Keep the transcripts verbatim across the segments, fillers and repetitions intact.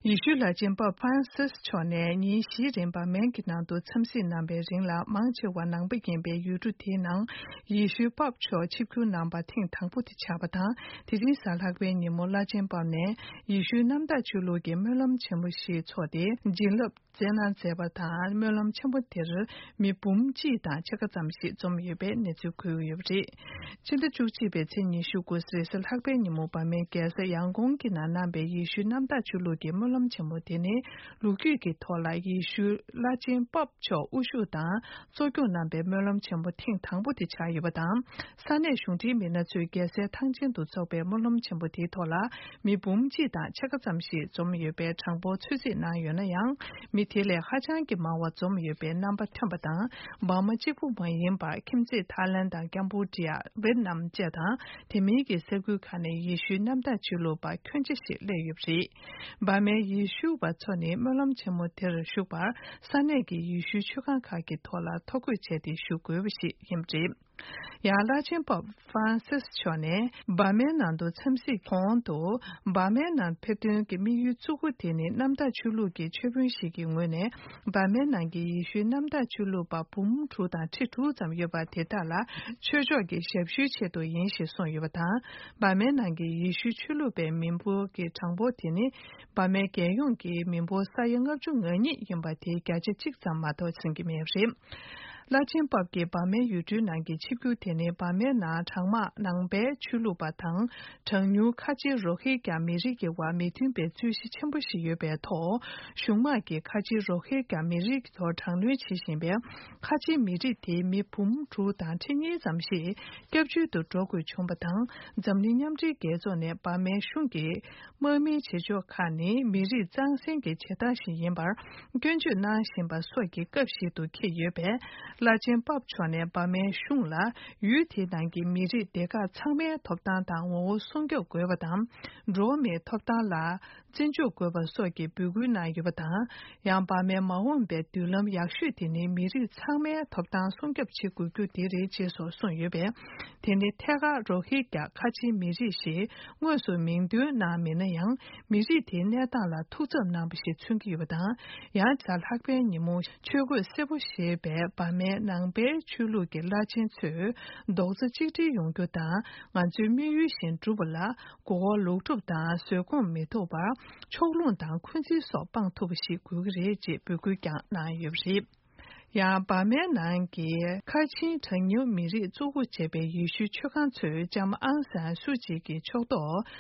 ཡེ་ཤུའི་བླ་ཆེན་པོབ་ཧྥ་རན་སིས་མཆོག་ནས་ཉིན་བཞིའི་རིང་བར་མན་གྱི་ནང་དུ་འཚམས་གཟིགས་གནང་བའི་རིང་ལ། མང་ཆེ་བ་ནང་པ་ཡིན་པའི་ཡུལ་གྲུ་དེའི་ནང་ཡེ་ཤུའི་པོབ་མཆོག་ཆིབས་བསྒྱུར་གནང་བ་ཐེངས་དང་པོ་དེ་ཆགས་པ་དང་། དེ་རིང་གཟའ་ལྷག་པའི་ཉིན་མོ་བླ་ཆེན་པོབ་ནས་ཡེ་ཤུའི་གནམ་བདག་ཆོས་ལུགས་ཀྱི་སྨོན་ལམ་ཆེན་མོ་ཞིག་འཚོགས་ཏེ། བྱིན་རླབས་སྩལ་གནང་མཛད་པ་དང་། སྨོན་ལམ་ཆེན་མོ་དེར་མི་འབུམ་གཅིག་དང་ཕྱེད་ཀ་ཙམ་ཞིག་འཛོམས་ཡོད་པའི་གནས་ཚུལ་འཁོད་ཡོད་པ་རེད། ཕྱི་ཟླ་བཅུ་གཅིག་པའི་ཚེས་ཉི་ཤུ་དགུ་རེས་གཟའ་ལྷག་པའི་ཉིན་མོ་བར་མའི་རྒྱལ་ས་ཡང་ཀོང་གི་ནང་གནང་བའི་ཡེ་ཤུའི་གནམ་བདག་ཆོས་ལུགས་ཀྱི་སྨོན་ལམ་ཆེན་མོ་དེ་ནི། ལོ་རྒྱུས་ཀྱི་ཐོག་ལ་ཡེ་ཤུའི་བླ་ཆེན་པོབ་མཆོག་དབུ་བཞུགས་དང་གཙོ་སྐྱོང་གནང་བའི་སྨོན་ལམ་ཆེན་མོ་ཐེངས་དང་པོ་དེ་ཆགས་ཡོད་པ་དང་། ས་གནས་གཞུང་འབྲེལ་མི་སྣ་ཚོས་རྒྱལ་སའི་ཐང་ཆེན་དུ་འཚོགས་པའི་སྨོན་ལམ་ཆེན་མོ་དེའི་ཐོག་ལ། མི་འབུམ་གཅིག་དང་ཕྱེད་ཀ་ཙམ་ཞིག་འཛོམས་ཡོད་པའི་གྲངས་འབོར་ཚོད་རྩིས་གནང་ཡོད་ན་ཡང་། མི་དེ་ལས་ཧ་ཅང་གི་མང་བ་འཛོམས་ཡོད་པའི་རྣམ་པ་ཐོན་པ་དང་། འབར་མ་གཅིག་པུ་མ་ཡིན་པར། ཁྱིམ་མཚེས་ཐའི་ལན་དང་། ཀམ་པུ་ཅི་ཡ། ཝེད་ནམ་བཅས་དང་། དེ་མིན་གྱི་ས་ཁུལ་ཁག་ནས་ཡེ་ཤུའི་གནམ་བདག་ཆོས་ལུགས་པ་ཁྱོན་ཆེ་ཞིག་སླེབས་ཡོད་པ་རེད། འབར་མའི་ཡེ་ཤུ་བ་ཚོ་ནི་སྨོན་ལམ་ཆེན་མོ་དེར་ཞུགས་པར། ས་གནས་ཀྱི་ཡེ་ཤུའི་ཆོས་ཁང་ཁག་གི་ཐོག་ལ་ཐོ་འགོད་བྱས་ཏེ་ཞུགས་དགོས་པ་ཞིག་ཡིན་པ་རེད། ཡང་། བླ་ཆེན་པོབ་ཧྥ་རན་སིས་མཆོག་ནས་འབར་མའི་ནང་དུ་འཚམས་གཟིགས་གོང་དུ། འབར་མའི་ནང་ཕེབས་དོན་གྱི་དམིགས་ཡུལ་གཙོ་བོ་དེ་ནི། གནམ་བདག་ཆོས་ལུགས་ཀྱི་ཆོས་དཔོན་ཞིག་གི་ངོས་ནས། འབར་མའི་ནང་གི་ཡེ་ཤུའི་གནམ་བདག་ཆོས་ལུགས་པ་འབུམ་དྲུག་དང་ཁྲི་དྲུག་ཙམ་ཡོད་པ་དེ་དག་ལ། ཆོས་ཕྱོགས་ཀྱི་ཞབས་ཞུའི་ཆེད་དུ་ཡིན་ཞེས་གསུངས་ཡོད་པ་དང་། འབར་མའི་ནང་གི་ཡེ་ཤུའི་ཆོས་ལུགས་པའི་མི་འབོར་གྱི་གྲངས་འབོར་དེ་ནི། འབར་མའི་རྒྱལ་ཡོངས་ཀྱི་མི་འབོར་ས་ཡ་ལྔ་བཅུ་ང་གཉིས་ཡིན་པ་དེའི་བརྒྱ་ཆ་གཅིག་ཙམ་མ་གཏོགས་ཟིན་གྱི་མེད་པ་རེད། བླ་ཆེན་པོབ་ཀྱི་འབར་མའི་ཡུལ་གྲུའི་ནང་གི་ཆིབས་བསྒྱུར་དེ་ནི། འབར་མའི་ནང་གྲངས་མང་ནང་པའི་ཆོས་ལུགས་པ་དང་། གྲངས་ཉུང་ཁ་ཆེའི་རོ་ཧི་རྒྱ་མི་རིགས་ཀྱི་དབར་མི་མཐུན་པའི་རྩོད་གཞི་ཆེན་པོ་ཞིག་ཡོད་པའི་ཐོག་གཞུང་དམག་གིས་ཁ་ཆེའི་རོ་ཧི་རྒྱ་མི་རིགས་ཀྱི་ཐོག་དྲག་གནོན་བྱེད་བཞིན་པའི་ཁ་ཆེའི་མི་རིགས་དེའི་མི་འབུམ་དྲུག་དང་ཁྲི་གཉིས་ཙམ་ཞིག་སྐྱབས་བཅོལ་དུ་འགྲོ་དགོས་བྱུང་བ་དང་། འཛམ་གླིང་མཉམ་འབྲེལ་རྒྱལ་ཚོགས་ནས་འབར་མའི་གཞུང་གི་དམག་མིའི་བྱེད་ཕྱོགས་ཁག་ནི། མི་རིགས་གཙང་སེལ་གྱི་བྱེད་སྟངས་ཤིག་ཡིན་པར་སྐྱོན་བརྗོད་གནང་བཞིན་པ་སོགས་ཀྱི་སྐབས་ཤིག་ཏུ་འཁེལ་ཡོད་པས། བླ་ཆེན་པོབ་མཆོག་ནས་འབར་མའི་གཞུང་ལ། ཡུལ་དེའི་ནང་གི་མི་རིགས་སྡེ་ཁག་ཚང་མའི་ཐོབ་ཐང་དང་ངོ་བོ་སྲུང་སྐྱོབ་དགོས་པ་དང་། འགྲོ་བ་མིའི་ཐོབ་ཐང་ལ་བརྩི་འཇོག་དགོས་པ་སོགས་ཀྱི་འབོད་སྐུལ་གནང་ཡོད་པ་དང་། ཡང་། འབར་མའི་མ་འོངས་པའི་མདུན་ལམ་ཡག་ཤོས་དེ་ནི། མི་རིགས་ཚང་མའི་ཐོབ་ཐང་སྲུང་སྐྱོབ་བྱེད་དགོས་རྒྱུ་དེ་རེད། ཅེས་སོགས་གསུངས་ཡོད་པས། དེ་ནི་ཐད་ཀར་རོ་ཧི་རྒྱ་ཁ་ཆེའི་མི་རིགས་ཞེས་དངོས་སུ་མིང་འདོན་གནང་མེད་ན་ཡང་། མི་རིགས་དེའི་གནས་སྟངས་ལ་ཐུགས་འཚབ་གནང་བ་ཞིག་མཚོན་གྱི་ཡོད་པ་དང་། ཡང་། གཟའ་ལྷག་པའི་ཉིན་མོ་ཆོས་གོས་སེར་པོ་ཞེས་པའི་འབར་མའི་ནང་པའི་ཆོས་ལུགས་ཀྱི་བླ་ཆེན་ཚོས་རྡོག་རྩ་གཅིག་སྒྲིལ་ཡོང་རྒྱུ་དང་། ང་ཚོའི་དམིགས་ཡུལ་བཞིན་བསྒྲུབ་པ་ལ། མགོ་སྐོར་ལོག་སྒྲུབ་དང་བཟོད་སྒོམ་མི་ཐོགས་པར་ཕྱོགས་ལྷུང་དང་འཁོན་འཛིན་སོགས་སྤང་ཐུབ་པ་ཞིག་དགོས་ཀྱི་རེད། ཅེས་འབོད་སྐུལ་ཀྱང་གནང་ཡོད་པ་རེད། ཡང་། འབར་མའི་ནང་གི་ཁ་ཆེའི་གྲངས་ཉུང་མི་རིགས་གཙོ་བོ་བྱས་པའི་ཡེ་ཤུའི་ཆོས་ཁང་ཚོས་ལྕམ་ཨང་སན་སུའུ་ཅི་གི་ཕྱོགས་གཏོགས་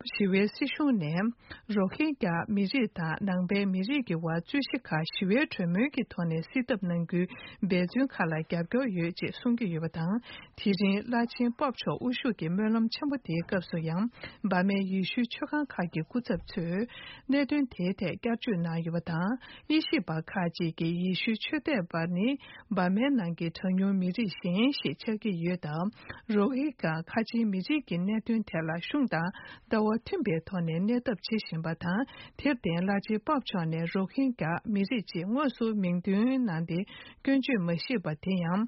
ཞི་བའི་སྲིད་གཞུང་ནས་རོ་ཧིན་གྱ་མི་རིགས་དང་ནང་པའི་མི་རིགས་ཀྱི་དབར་རྩོད་གཞི་ཁག་ཞི་བའི་གྲོས་མོལ་གྱི་ཐོག་ནས་སེལ་ཐབས་གནང་རྒྱུའི་འབད་བརྩོན་ཁག་ལ་རྒྱབ་སྐྱོར་ཡོད་ཅེས་གསུང་གི་ཡོད་པ་དང་། དེ་རིང་བླ་ཆེན་པོབ་མཆོག་དབུ་བཞུགས་ཀྱི་སྨོན་ལམ་ཆེན་པོ་དེའི་སྐབས་སུ་ཡང་། འབར་མའི་ཡེ་ཤུའི་ཆོས་ཁང་ཁག་གི་སྐུ་ཚབ་ཚོས་གནད་དོན་དེའི་ཐད་བསྐྱར་བརྗོད་གནང་ཡོད་པ་དང་། དབྱེ་ཞིབ་པ་ཁག་ཅིག་གིས་ཡེ་ཤུའི་ཆོས་དད་པ་ནི་འབར་མའི་ནང་གི་གྲངས་ཉུང་མི་རིགས་གཞན་ཞིག་ཆགས་ཀྱི་ཡོད་སྟབས། རོ་ཧི་གྷ་ཁ་ཆེའི་མི་རིགས་ཀྱི་གནད་དོན་ཐད་ལ་གཞུང་དང་ལྟ་བ་མཐུན་པའི་ཐོག་ནས་གནས་ཐབས་བྱེད་བཞིན་པ་དང་། དེར་བརྟེན། བླ་ཆེན་པོབ་མཆོག་ནས་རོ་ཧིན་གྷ་མི་རིགས་ཅེས་དངོས་སུ་མིང་འདོན་གནང་སྟེ་སྐྱོན་བརྗོད་མ་བྱས་པ་དེ་ཡང་།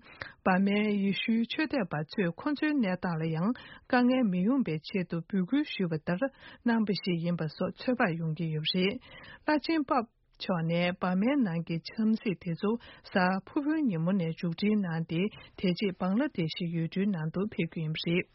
འབར་མའི་ཡེ་ཤུའི་ཆོས་དད་པ་ཚོས་ཁོ་ཚོའི་གནས་སྟངས་ལ་ཡང་དཀའ་ངལ་མི་ཡོང་བའི་ཆེད་དུ་འབོད་སྐུལ་ཞུས་པ་ལྟར་གནང་བ་ཞིག་ཡིན་པ་སོགས་ཚོད་དཔག་ཡོང་གི་ཡོད་པ་རེད། བླ་ཆེན་པོབ་མཆོག་ནས་འབར་མའི་ནང་གི་འཚམས་གཟིགས་དེ་ཚོ་གཟའ་ཕུར་བུའི་ཉིན་མོ་ནས་མཇུག་སྒྲིལ་གནང་སྟེ། དེ་རྗེས་བང་ལ་དེ་ཤི་ཡུལ་གྲུའི་ནང་དུ་ཕེབས་རྒྱུ་ཡིན་པ་རེད།